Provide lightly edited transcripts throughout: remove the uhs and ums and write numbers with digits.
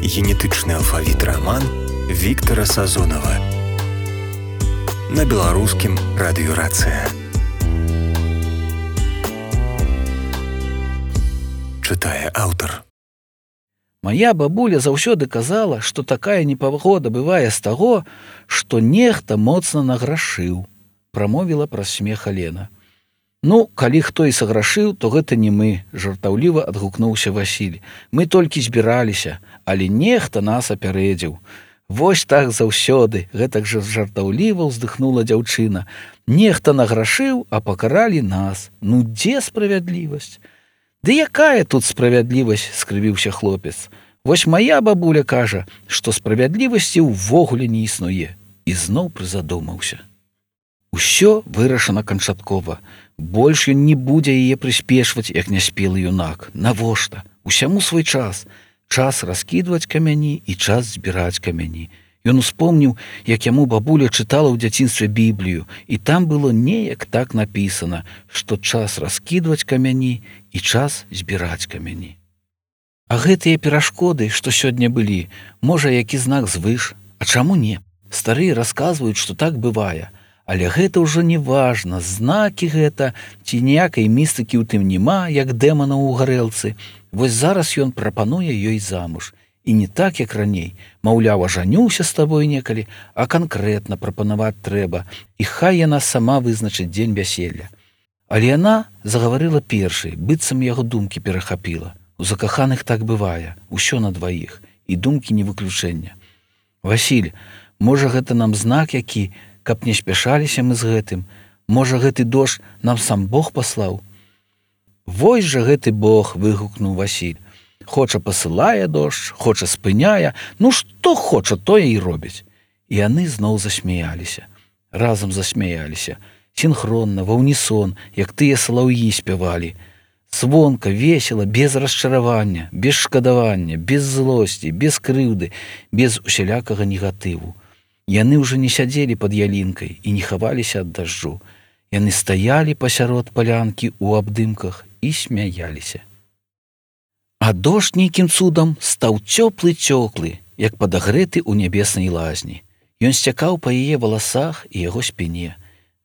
Генетычны алфавіт раман Віктара Сазонава на беларускім радыёрацыя. Чытае аўтар. Мая бабуля заўсёды казала, што такая непагода бывае з таго, што нехта моцна награшыў, прамовіла праз смех Алена. Ну, калі хто і саграшыў, то гэта не мы, жартаўліва адгукнуўся Васіль. Мы толькі збіраліся, але нехта нас апярэдзіў. Вось так заўсёды, гэтак жа жартаўліва ўздыхнула дзяўчына. Нехта награшыў, а пакаралі нас. Ну, дзе справядлівасць? Ды якая тут справядлівасць, скрывіўся хлопец. Вось мая бабуля кажа, што справядлівасці ўвогуле не існуе. І зноў прызадумаўся. Усё вырашана канчаткова. Больш ён не будзе яе прыспешваць, як няспелы юнак. Навошта? Усяму свой час. Час раскідваць камяні і час збіраць камяні. Ён успомніў, як яму бабуля чытала ў дзяцінстве Біблію, і там было неяк так напісана, што час раскідваць камяні і час збіраць камяні. А гэтыя перашкоды, што сёння былі, можа, які знак звыш, а чаму не? Старыя расказваюць, што так бывае. Але гэта ўжо не важна, знакі гэта, ці ніякай містыкі ў тым няма, як дэмана ў гарэлцы. Вось зараз ён прапануе ёй замуж. І не так, як раней. Маўляў, ажаніўся з табой некалі, а канкрэтна прапанаваць трэба, і хай яна сама вызначыць дзень вяселля. Але яна загаварыла першай, быццам яго думкі перахапіла. У закаханых так бывае, усё на дваіх, і думкі не выключэння. Васіль, можа, гэта нам знак які, каб не спяшаліся мы з гэтым. Можа, гэты дождж нам сам Бог паслаў? Вось жа гэты Бог, выгукнуў Васіль. Хоча пасылае дождж, хоча спыняе, ну што хоча, тое і робіць. І яны зноў засмяяліся. Разам засмяяліся. Сінхронна, ва ўнісон, як тыя салаўі спявалі. Звонка, весела, без расчаравання, без шкадавання, без злосці, без крыўды, без усялякага негатыву. Яны ўжо не сядзелі пад ялінкай і не хаваліся ад дажджу. Яны стаялі пасярод палянкі ў абдымках і смяяліся. А дождж нейкім цудам стаў цёплы-цёплы, як падагрэты ў нябеснай лазні. Ён сцякаў па яе валасах і яго спіне.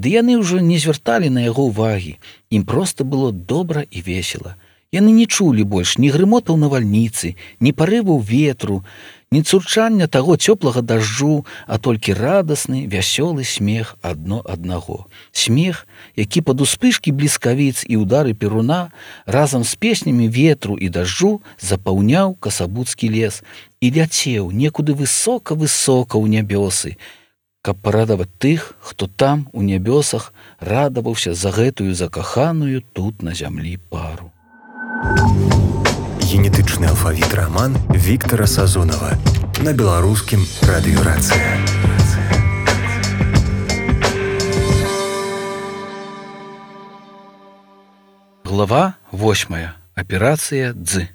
Ды яны ўжо не звярталі на яго ўвагі. Ім проста было добра і весела. Яны не чулі больш ні грымотаў навальніцы, ні парываў ветру, ні цурчання таго цёплага дажджу, а толькі радасны, вясёлы смех адно аднаго. Смех, які пад успышкі бліскавіц і ўдары перуна разам з песнямі ветру і дажджу запаўняў касабуцкі лес і ляцеў некуды высока-высока ў нябёсы, каб парадаваць тых, хто там, у нябёсах, радаваўся за гэтую закаханую тут на зямлі пару. Генетычны алфавіт раман Віктара Сазонава на беларускім радыёрацыя. Глава 8. Аперацыя Дз.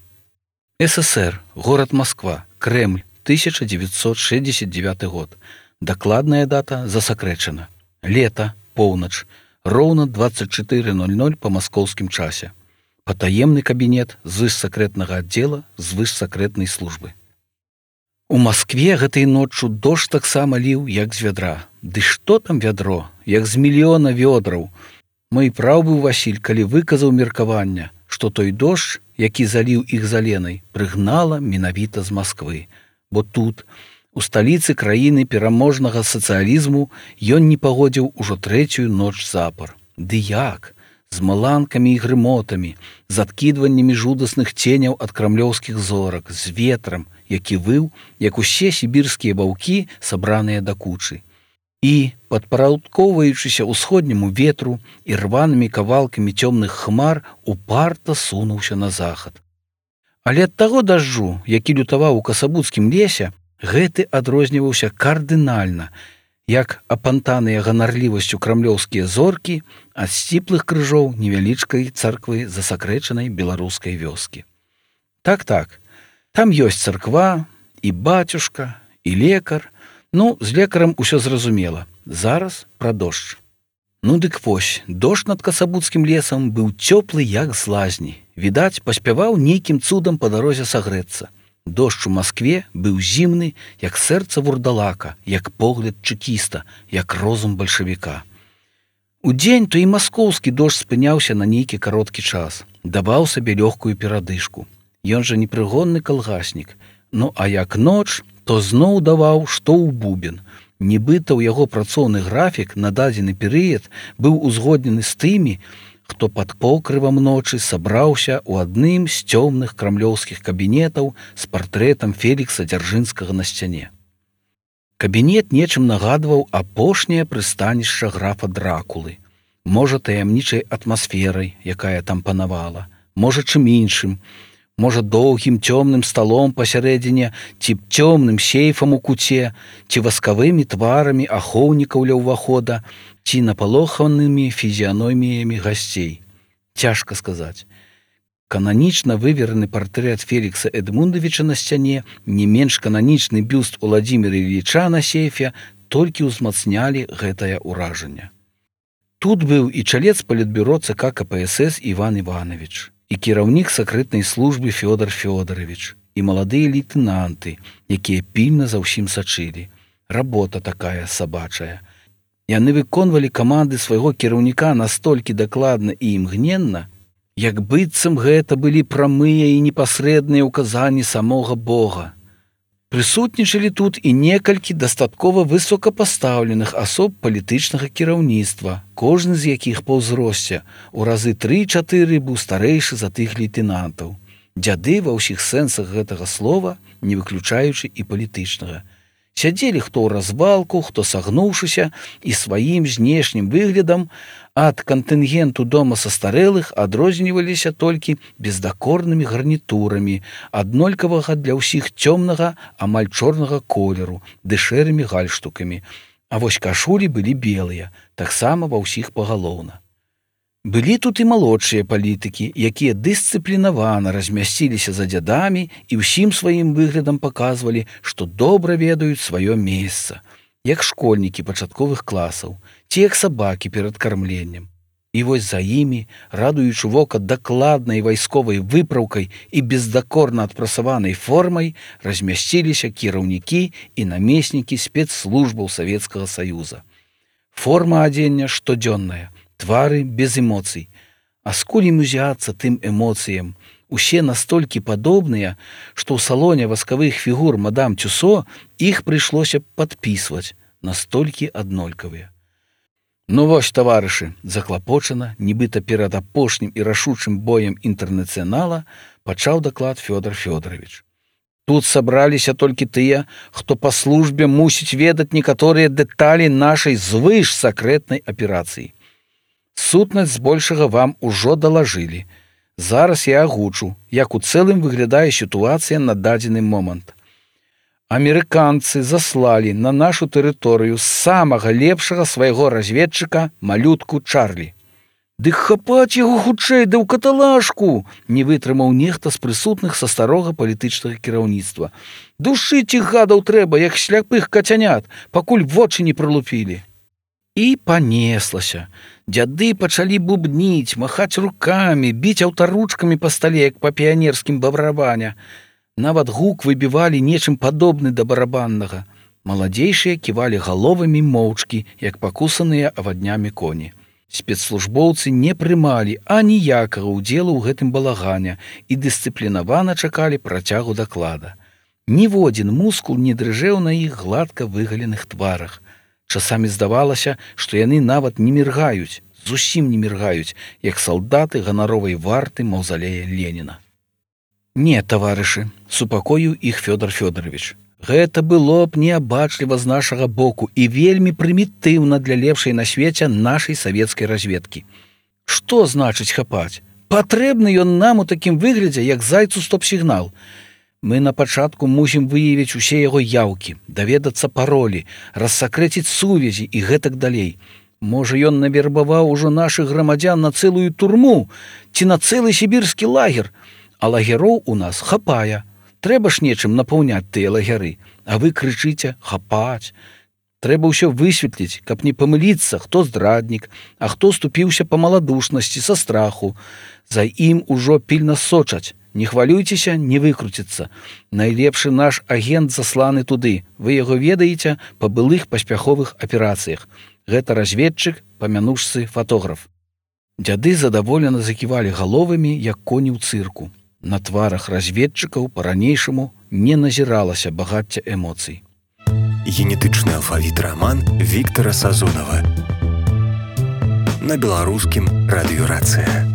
СССР. Город Москва. Кремль. 1969 год. Дакладная дата засакрэчана. Лето. Поўнач. Роўна 24:00 па маскоўскім часе. Патаемны кабінет звышсакрэтнага аддзела звышсакрэтнай службы. У Маскве гэтай ноччу дождж таксама ліў, як з вядра. Ды што там вядро, як з мільёна вёдраў. Мой праў быў Васіль, калі выказаў меркавання, што той дождж, які заліў іх з Аленай, прыгнала менавіта з Масквы. Бо тут, у сталіцы краіны пераможнага сацыялізму, ён не пагодзіў ужо трэцюю ноч запар. Ды як? З маланкамі і грымотамі, з адкідваннямі жудасных ценяў ад крамлёўскіх зорак, з ветрам, які выў, як усе сібірскія ваўкі, сабраныя да кучы. І, падпарадкоўваючыся ўсходняму ветру і рванымі кавалкамі цёмных хмар, упарта сунуўся на захад. Але ад таго дажджу, які лютаваў у касабуцкім лесе, гэты адрозніваўся кардынальна, як апантаныя ганарлівасцю крамлёўскія зоркі ад сціплых крыжоў невялічкай царквы засакрэчанай беларускай вёскі. Так, там ёсць царква, і бацюшка, і лекар. Ну, з лекарам усё зразумела. Зараз пра дождж. Ну дык вось, дождж над касабуцкім лесам быў цёплы, як з лазні. Відаць, паспяваў нейкім цудам па дарозе сагрэцца. Дождж у Маскве быў зімны, як сэрца вурдалака, як погляд чэкіста, як розум бальшавіка. Удзень то і маскоўскі дождж спыняўся на нейкі кароткі час, даваў сабе лёгкую перадышку. Ён жа непрыгонны калгаснік. Ну а як ноч, то зноў даваў, што ў бубен. Нібыта ў яго працоўны графік на дадзены перыяд быў узгоднены з тымі, хто пад покрывам ночы сабраўся ў адным з цёмных крамлёўскіх кабінетаў з партрэтам Фелікса Дзяржынскага на сцяне. Кабінет нечым нагадваў апошняе прыстанішча графа Дракулы. Можа, таямнічай атмасферай, якая там панавала, можа, чым іншым, можа, доўгім цёмным сталом пасярэдзіне, ці цёмным сейфам у куце, ці васкавымі тварамі ахоўнікаў ля ўвахода, ці напалоханымі фізіяноміямі гасцей. Цяжка сказаць. Кананічна вывераны партрэт Фелікса Эдмундавіча на сцяне, не менш кананічны бюст Уладзіміра Іліча на сейфе толькі ўзмацнялі гэтае ўражанне. Тут быў і чалец палітбюро ЦК КПСС Іван Іванович, і кіраўнік сакрэтнай службы Фёдор Фёдорович, і маладыя лейтэнанты, якія пільна за ўсім сачылі. Работа такая сабачая. Яны выконвалі каманды свайго кіраўніка настолькі дакладна і імгненна, як быццам гэта былі прамыя і непасрэдныя ўказанні самога Бога. Прысутнічалі тут і некалькі дастаткова высокапастаўленых асоб палітычнага кіраўніцтва, кожны з якіх па ўзросце у разы 3-4 быў старэйшы за тых лейтэнантаў. Дзяды ва ўсіх сэнсах гэтага слова, не выключаючы і палітычнага. Сядзелі хто ў развалку, хто сагнуўшыся і сваім знешнім выглядам ад кантынгенту дома састарэлых адрозніваліся толькі бездакорнымі гарнітурамі, аднолькавага для ўсіх цёмнага, амаль чорнага колеру, ды шэрымі гальштукамі. А вось кашулі былі белыя, таксама ва ўсіх пагалоўна. Былі тут і малодшыя палітыкі, якія дысцыплінавана размясціліся за дзядамі і ўсім сваім выглядам паказвалі, што добра ведаюць сваё месца, як школьнікі пачатковых класаў, ці як сабакі перад кармленнем. І вось за імі, радуючы вока дакладнай вайсковай выпраўкай і бездакорна адпрасаванай формай, размясціліся кіраўнікі і намеснікі спецслужбаў Савецкага Саюза. Форма адзення штодзённая, твары без эмоцый. А скуль ім узяцца тым эмоцыям? Усе настолькі падобныя, што ў салоне васкавых фігур мадам Тюсо іх прыйшлося падпісваць, настолькі аднолькавыя. Ну вось, таварышы, заклапочана, нібыта перад апошнім і рашучым боем інтэрнацыянала пачаў даклад Фёдор Фёдорович. Тут сабраліся толькі тыя, хто па службе мусіць ведаць некаторыя дэталі нашай звыш сакрэтнай аперацыі. Сутнасць збольшага вам ужо далажылі. Зараз я агучу, як у цэлым выглядае сітуацыя на дадзены момант. Амерыканцы заслалі на нашу тэрыторыю самага лепшага свайго разведчыка малютку Чарлі. Дык хапаць яго хутчэй, да ў каталажку! Не вытрымаў нехта з прысутных са старога палітычнага кіраўніцтва. Душыць іх гадаў трэба, як сляпых кацянят, пакуль вочы не прылупілі. І панеслася. Дзяды пачалі бубніць, махаць рукамі, біць аўтаручкамі па стале, як па піянерскім барабане. Нават гук выбівалі нечым падобны да барабаннага. Маладзейшыя ківалі галовамі моўчкі, як пакусаныя аваднямі коні. Спецслужбоўцы не прымалі аніякага ўдзелу ў гэтым балагане і дысцыплінавана чакалі працягу даклада. Ніводзін мускул не дрыжэў на іх гладка выгаленых тварах. Часамі здавалася, што яны нават не міргаюць, зусім не міргаюць, як салдаты ганаровай варты маўзалея Леніна. Не, таварышы, супакоіў іх Фёдор Фёдорович. Гэта было б неабачліва з нашага боку і вельмі прымітыўна для лепшай на свеце нашай савецкай разведкі. Што значыць хапаць? Патрэбны ён нам у такім выглядзе, як зайцу стоп-сігнал. Мы на пачатку мусім выявіць усе яго яўкі, даведацца паролі, рассакрэціць сувязі і гэтак далей. Можа, ён навербаваў ужо нашых грамадзян на цэлую турму ці на цэлы сібірскі лагер, а лагероў у нас хапае. Трэба ж нечым напаўняць тыя лагеры, а вы крычыце «хапаць». Трэба ўсё высветліць, каб не памыліцца, хто здраднік, а хто ступіўся па маладушнасці са страху. За ім ужо пільна сочаць, Не хвалюйцеся, не выкруціцца. Найлепшы наш агент засланы туды. Вы яго ведаеце па былых паспяховых аперацыях. Гэта разведчык, памянушцы фатограф. Дзяды задаволена заківалі галовамі, як коні ў цырку. На тварах разведчыкаў па-ранейшаму не назіралася багацця эмоцый. Генетычны алфавіт раман Віктара Сазонава. На беларускім радыёрацыя.